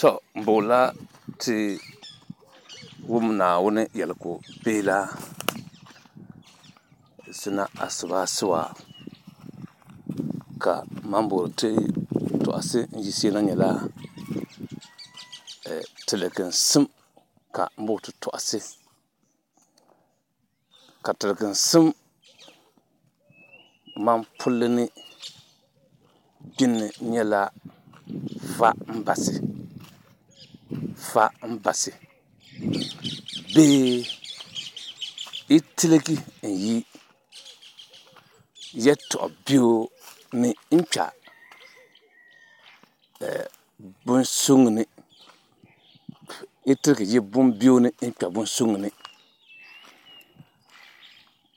To m-boonila ti wum Naawuni yɛligu bihi la zina asibaasiwa, ka man booni ti tɔɣisi n-yiɣisi na nyɛla tiliginsim ka m booni ti tɔɣisi. Ka tiliginsim man pulli ni gbinni nyɛla fa m-basi, fa m-basi bee yi tiligi n-yi yɛtɔɣ biɛo ni n-kpa bun suŋ ni, yi tiligi yi bun biɛo ni n-kpa bun suŋ ni.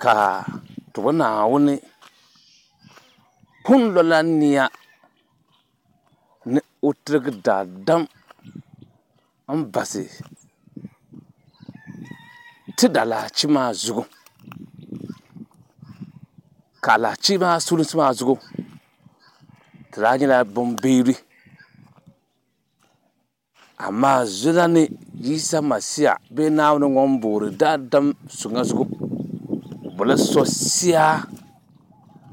Ka ti bo Naawuni pun lola nia ni o tiligi daadam m-basi ti daalahichi maa zuɣu, ka alahichi maa sulinsi maa zuɣu ti daa nyɛla bimbiɛri, amaa zina ni Yisa Masia bee Naawuni ŋun boori daadam suŋa zuɣu, o bola so sia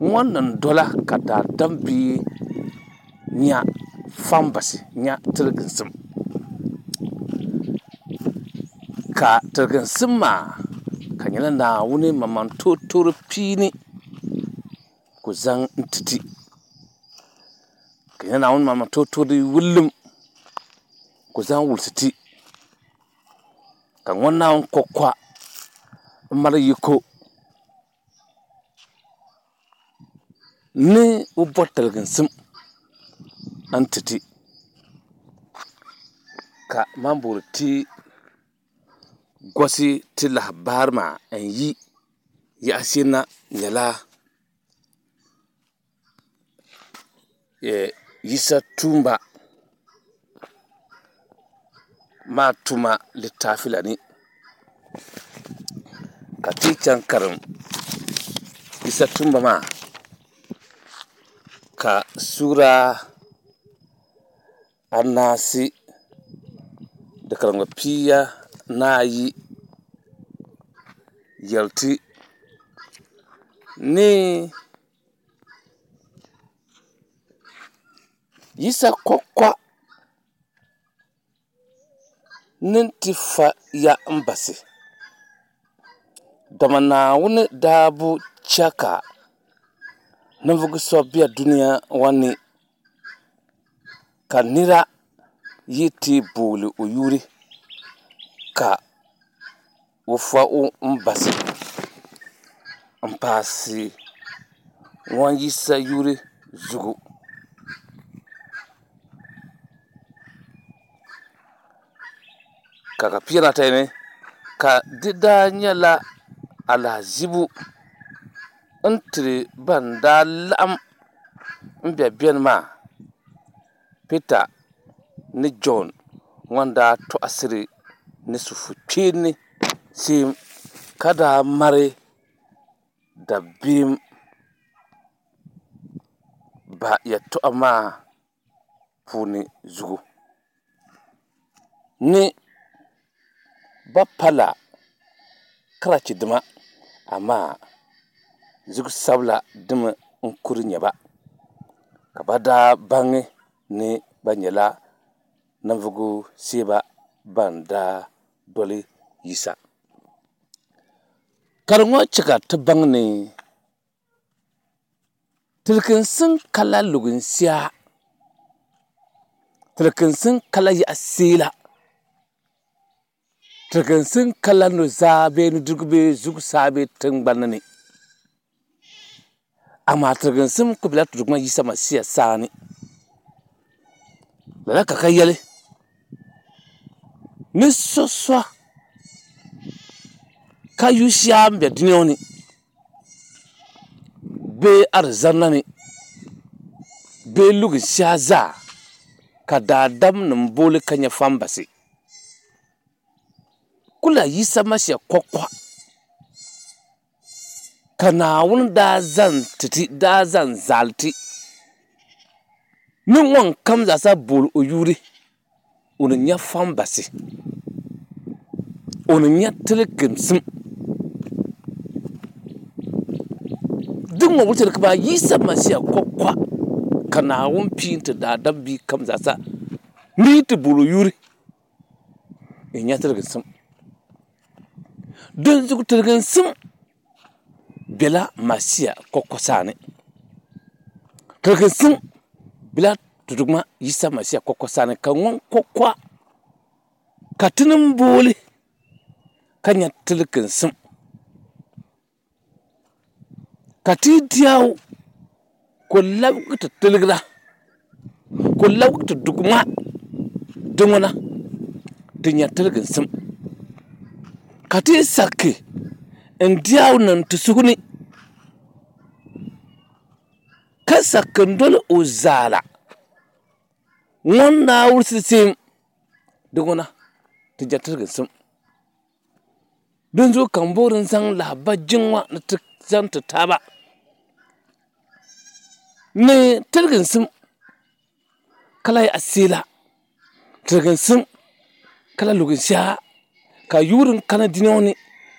ŋun niŋ dola ka daadam bia nya fambasi, nya tiliginsim. Ka tiliginsim maa ka nyɛla Naawuni maŋmaŋ toori piini ku zaŋ n-ti ti. Ka nyɛla Naawuni maŋmaŋ toori wulim ku zaŋ wulisi ti. Ka ŋɔ Naawuni kɔkɔa m-mali yiko ni o bɔri tiliginsim n-ti ti. Ka man boori ti gosi ti lahabari maa n-yi yaɣisi na nyɛla Yisa tuumba maa tuma litaafi la ni. Ka ti chaŋ karim Yisa tuumba maa ka suura anaasi di karimmi pia ni ayi yɛli ti ni Yisa kɔkɔ ni ti fa ya m-basi, dama Naawuni daa bi chɛ ka ninvuɣ so be dunia ŋɔ ni ka nira yi ti booli o yuri ka o fa o m-basi m-paasi ŋun Yisa yuri zuɣu. Ka ka pia ni ata ni ka di daa nyɛla alahizibu n-tiri ban daa laɣim m-be beni maa, Pita ni Jɔn ŋɔ daa tɔɣisiri ni sufukpeeni seem ka daa mari dabiɛm ba yɛtɔɣa maa puuni zuɣu ni ba pala karachidima, amaa zuɣusabila dimi n-kuri nyɛ ba, ka ba daa baŋi ni ba nyɛla ninvuɣ seeba ban daa doli Yisa. Ka di ŋɔ chɛ ka ti baŋ ni tiliginsim kala luginsia, tiliginsim kala yaɣa seela, tiliginsim kala nuzaa bee nudirigu bee zuɣusaa bee tiŋgbani ni. Amaa tiliginsim ku bela ti Duuma Yisa Masia saani. Lala ka ka yɛli ni so so ka yu shia m-be dunia ŋɔ ni bee arizana ni bee luginshia zaa ka daadamnim booli ka nya fambasi. Kula Yisa Masia kɔkɔ ka Naawuni daa zaŋ ti ti, daa zaŋ zali ti ni ŋunkam zaasa booli o yuri. o ni nya fambasi, o ni nya tiliginsim. Din ŋɔ wuhi ti ni kaman Yisa Masia kɔkɔa ka Naawuni pii n-ti daadam bia kam zaasa ni yi ti bol o yuri n-nya tiliginsim. Dinzuɣu tiliginsim bela Masia kɔkɔ saani. Tiliginsim bela ti Duuma Yisa Masia kɔkɔ saani, ka ŋun kɔkɔa ka ti niŋ booli ka nya tiliginsim. Ka ti yi diɛbu ka o labigi ti tiligira, ka o labigi ti Duuma di ŋuna ti nya tiliginsim. Ka ti yi sakki n-diɛbu niŋ ti suhu ni, ka sakki n-doli o zaala ŋun Naawuni sisim di ŋuna ti nya tiliginsim. Dinzuɣu ka m boori n zaŋ lahaba jiŋ ŋɔ ni ti zaŋ ti taaba ni tiliginsim ka lahi asiila, tiliginsim ka lahi luginshɛha ka yuuri n kana dunia ŋɔ ni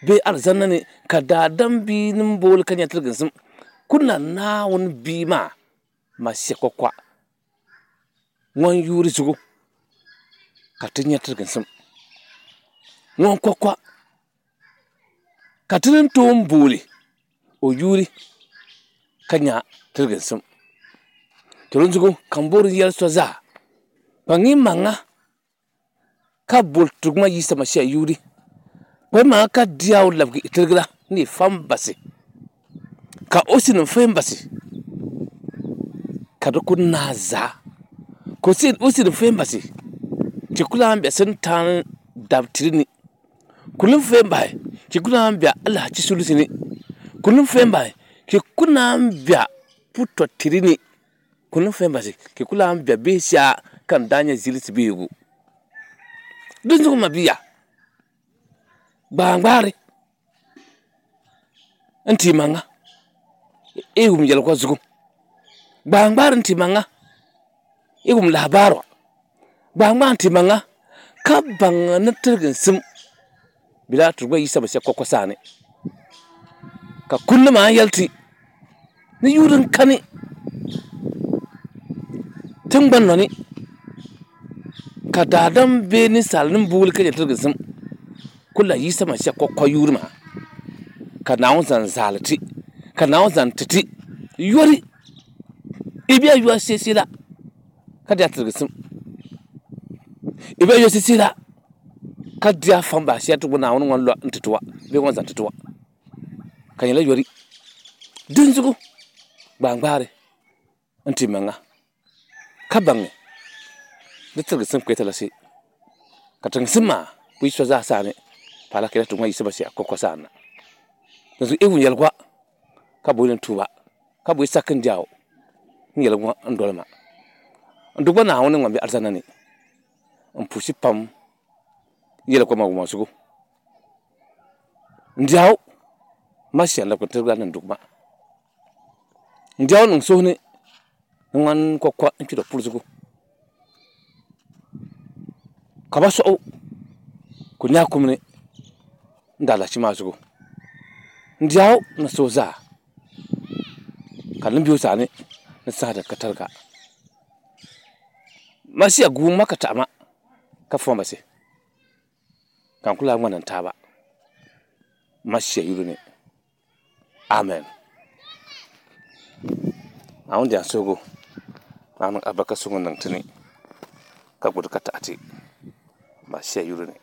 bee alizanda ni ka daadam bia ni booli ka nya tiliginsim ku na Naawuni bia maa Masia kɔkɔa ŋun yuuri zuɣu ka ti nya tiliginsim ŋun kɔkɔa ka ti ni tooi booli o yuuri ka nya tiliginsim. To dinzuɣu ka m boori n yɛli so zaa, kpaŋ yi maŋa ka boli ti Duuma Yisa Masia yuuri, kpaŋ yi maŋa ka di a o labigi i tiligira ni i fa m-basi, ka o si nim fa m-basi ka di ku naai zaa, ka o si nim fa m-basi ti ku lahi be Sintani dabitili ni, ku ni fa m-bahi ti ku naan be alahichi sulinsi ni, ku ni fa m-bahi ti ku naan be putɔtili ni, ku ni fa m-bahi ti ku lahi be bihi shɛŋa ka n daa nyɛ zilisi bihigu. Dinzuɣu m mabia, gbaangbaari n-ti maŋa i wum yɛligu zuɣu, gbaangbaari n-ti maŋa i wum lahabaaru, gbaangbaari n-ti maŋa ka baŋ ni tiliginsim bela ti Duuma Yisa Masia kɔkɔ saani. Ka kundi maa yɛli ti ni yuuri n-kani tiŋgbani nɔ ni ka daadam bee ninsalinim booli ka nyɛ tiliginsim kul la Yisa Masia kɔkɔ yuuri maa ka Naawuni zaŋ zaali ti, ka Naawuni zaŋ ti ti yɔri i bɛ yɔri seesee la ka di a tiliginsim, i bɛ yɔri seesee la ka di a famba shɛli ti Naawuni ŋɔ lɔ n-ti ti wa bee ŋɔ zaŋ ti ti wa ka nyɛla yɔri. Dinzuɣu gbaangbaari n-ti maŋa ka baŋ ni tiliginsim kpe talahi ka tiliginsim maa ku yi so zaa saani paala ka ti ŋɔ Yisa Masia kɔkɔ saani na. Dinzuɣu yi wum yɛligu ka boli ni tuuba ka boli saki n-diɛɣu n yɛligu ŋɔ n-doli ma. N di gba Naawuni ŋun be alizanda ni n puhisi pam yɛligu maa wumma zuɣu. N diɛɣu Masia n-labigi n tiligira ni n di ma. N diɛɣu niŋ suhu ni ni ŋan kɔkɔ n-kpiri puri zuɣu ka ba sɔɣu ku nyaai kum ni n daalahichi maa zuɣu. N diɛɣu ni suhu zaa ka di ni be o saani ni saha din ka tariga. Masia guui ma ka taɣi ma ka fo ma basi ka n ku lahi ŋmani n taaba Masia yuli ni. Amen. Naawuni di suhigu Naawuni alibarika suŋ niŋ ti ni ka gbubi ka taɣi ti Masia yuli ni.